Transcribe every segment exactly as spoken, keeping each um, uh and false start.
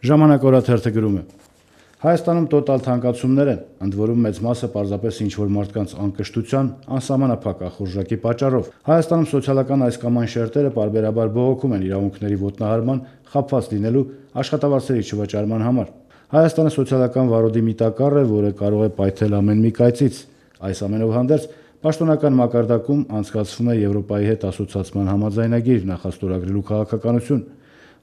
Ժամանակ օրաթերթը գրում է. Հայաստանում տոտալ թանկացումներ են, ընդ որում մեծ մասը պարզապես ինչ-որ մարդկանց անկշտության, անսահմանափակ ախորժակի պատճառով։ Հայաստանում սոցիալական այս կամ այն շերտերը պարբերաբար բողոքում են իրավունքների ոտնահարման, խաբված լինելու, աշխատավարձերի չվճարման համար։ Հայաստանը սոցիալական վարորդի մի տակառ է, որը կարող է պայթել ամեն մի կայծից։ Այս ամենով հանդերձ պաշտոնական մակարդակում անցկացվում է Եվրոպայի հետ ասոցիացման համաձայնագիր նախաստորագրելու քաղաքականություն,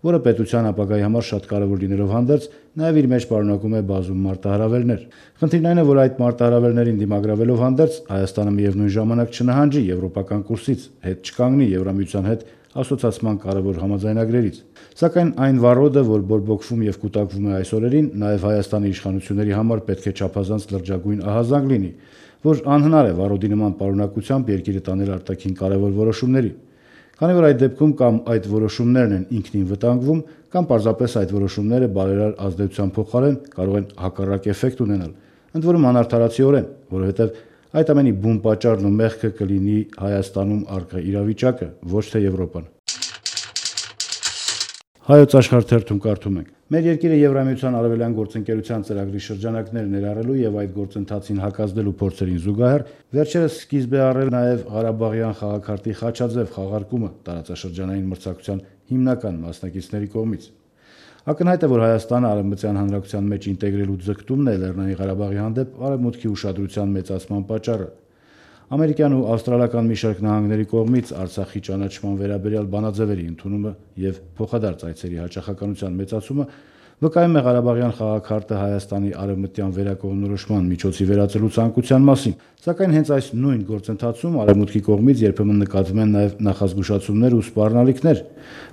որը պետության ապագայի համար շատ կարևոր լինելով հանդերձ, նաև իր մեջ պարունակում է բազում մարտահրավերներ։ Խնդիրն այն է, որ այդ մարտահրավերներին դիմագրավելով հանդերձ Հայաստանը միևնույն ժամանակ չնահանջի եվրոպական կուրսից, հետ չկանգնի Եվրամիության հետ ասոցիացման կարևոր համաձայնագրերից։ Սակայն այն վառոդը, որ բորբոքվում եւ կուտակվում է այս օրերին, նաև Հայաստանի իշխանությունների համար պետք է չափազանց լրջագույն ահազանգ լինի, որ անհնար է վառոդի նման պարունակությամբ երկիրը տանել արտաքին կարևոր որոշումների։ Քանի որ այդ դեպքում կամ այդ որոշումներն են ինքնին վտանգվում, կամ պարզապես այդ որոշումները բարերար ազդեցության փոխարեն կարող են հակառակ էֆեկտ ունենալ, ընդ որում անարդարացիորեն, որովհետև այդ ամենի բուն պատճառն ու մեղքը կլինի Հայաստանում առկա իրավիճակը, ոչ թե Եվրոպան։ Հայոց աշխարհ թերթում կարդում ենք. Մեր երկիրը Եվրամիության արևելյան գործընկերության ծրագրի շրջանակներ ներառելու եւ այդ գործընթացին հակազդելու փորձերին զուգահեռ վերջերս սկիզբ է առել նաեւ Ղարաբաղյան խաղաքարտի խաչաձև խաղարկումը տարածաշրջանային մրցակցության հիմնական մասնակիցների կողմից։ Ակնհայտ է, որ Հայաստանը Արևմտյան հանրակցության մեջ ինտեգրելու ձգտումն է Լեռնային Ղարաբաղի հանդեպ արևմուտքի ուշադրության մեծացման պատճառը։ Ամերիկյան ու ավստրալիական մի շարք նահանգների կողմից Արցախի ճանաչման վերաբերյալ բանաձևերի ընդունումը եւ փոխադարձ այցերի հաճախականության մեծացումը վկայում է Ղարաբաղյան խաղաքարտը Հայաստանի արևմտյան վերակողմնորոշման միջոցի վերածելու ցանկության մասին։ Սակայն հենց այս նույն գործընթացում արևմուտքի կողմից երբեմն նկատվում են նաեւ նախազգուշացումներ ու սպառնալիքներ,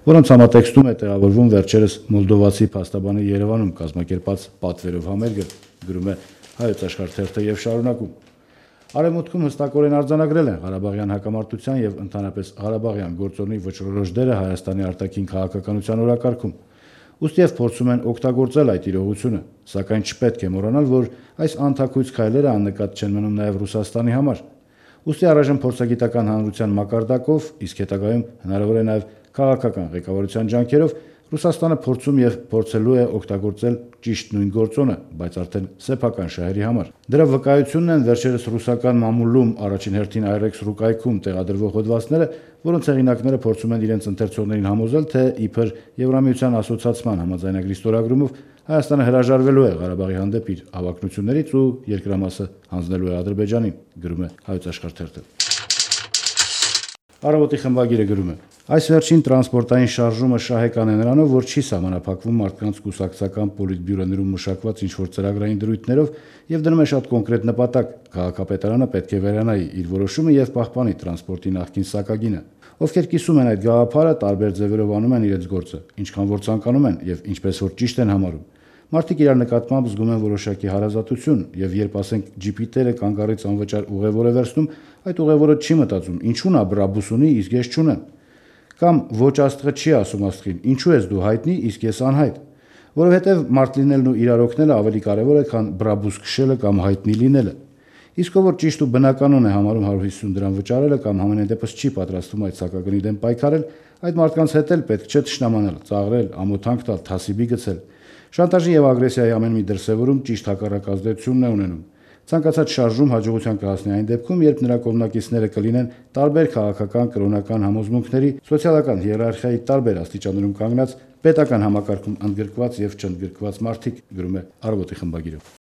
որոնց համատեքստում է տեղավորվում վերջերս մոլդովացի փաստաբանի Երևանում կազմակերպած պատվերով համերգը, գրում է Հայոց աշխարհ թերթը եւ շարունակում. Արևմուտքում հստակորեն արձանագրել են Ղարաբաղյան հակամարտության եւ ընդհանրապես Ղարաբաղյան գործոնի վճռորոշ դերը Հայաստանի արտաքին քաղաքականության օրակարգում։ Ուստիև փորձում են օգտագործել այդ իրողությունը, սակայն չպետք է մոռանալ, որ այս անթաքույց քայլերը աննկատ չեն մնում նաեւ Ռուսաստանի համար։ Ուստի առայժմ փորձագիտական հանրության մակարդակով, իսկ հետագայում հնարավոր է նաեւ քաղաքական ղեկավարության ջանքերով Ռուսաստանը փորձում եւ փորձելու է օգտագործել ճիշտ նույն գործոնը, բայց արդեն սեփական շահերի համար։ Դրա վկայությունն են վերջերս ռուսական մամուլում առաջին հերթին Այրեքս ռուկայքում տեղադրվող հոդվածները, որոնց հեղինակները փորձում են իրենց ընթերցողներին համոզել, թե իբր Եվրամիության ասոցիացման համաձայնագրի ստորագրումով Հայաստանը հրաժարվելու է Ղարաբաղի հանդեպ իր հավակնություններից ու երկրամասը հանձնելու է Ադրբեջանին, գրում է Հայոց աշխարհ թերթը։ Առավոտի խմբագիրը գրում է. Այս վերջին տրանսպորտային շարժումը շահեկան է նրանով, որ չի սահմանափակվում մարդկանց կուսակցական պոլիտբյուրոներում մշակված ինչ-որ ծրագրային դրույթներով եւ դնում է շատ կոնկրետ նպատակ. քաղաքապետարանը պետք է վերանայի իր որոշումը եւ պահպանի տրանսպորտի նախկին սակագինը։ Ովքեր կիսում են այդ գաղափարը, տարբեր ձևերով անում են իրենց գործը, ինչքան որ ցանկանում են եւ ինչպես որ ճիշտ են համարում։ Մարդիկ իրար նկատմամբ զգում են որոշակի հարազատություն եւ երբ ասենք ջիպիտերը կանգառից անվճար ուղևոր է վերցնում, այդ ուղևորը չի մտածում, ինչու նա բրաբուս ունի, իսկ ես չունեմ։ Կամ ոչ աստղը չի ասում աստղին, ինչու ես դու հայտնի, իսկ ես անհայտ, որովհետև մարդ լինելն ու իրար օգնելը ավելի կարևոր է, քան բրաբուս քշելը կամ հայտնի լինելը։ Իսկ ով որ ճիշտ ու բնականon է համարում հարյուր հիսուն դրամ վճարելը կամ համենայն դեպս չի պատրաստվում այդ սակագնի դեմ պայքարել, այդ մարդկանց հետ էլ պետք չէ թշնամանալ, ծաղրել, ամոթանք տալ, թասիբի գցել։ Շանտաժի եւ ագրեսիայի ամեն մի դրսեւորում ճիշտ հակառակ ազդեցությունն է ունենում։ Ցանկացած շարժում հաջողության կհասնի այն դեպքում, երբ նրա կողմնակիցները կլինեն տարբեր քաղաքական, կրոնական համոզմունքների, սոցիալական հիերարխիայի տարբեր աստիճաններում կանգնած, պետական համակարգում ընդգրկված եւ չընդգրկված մարդիկ, գրում է Առավոտի խմբագիրը։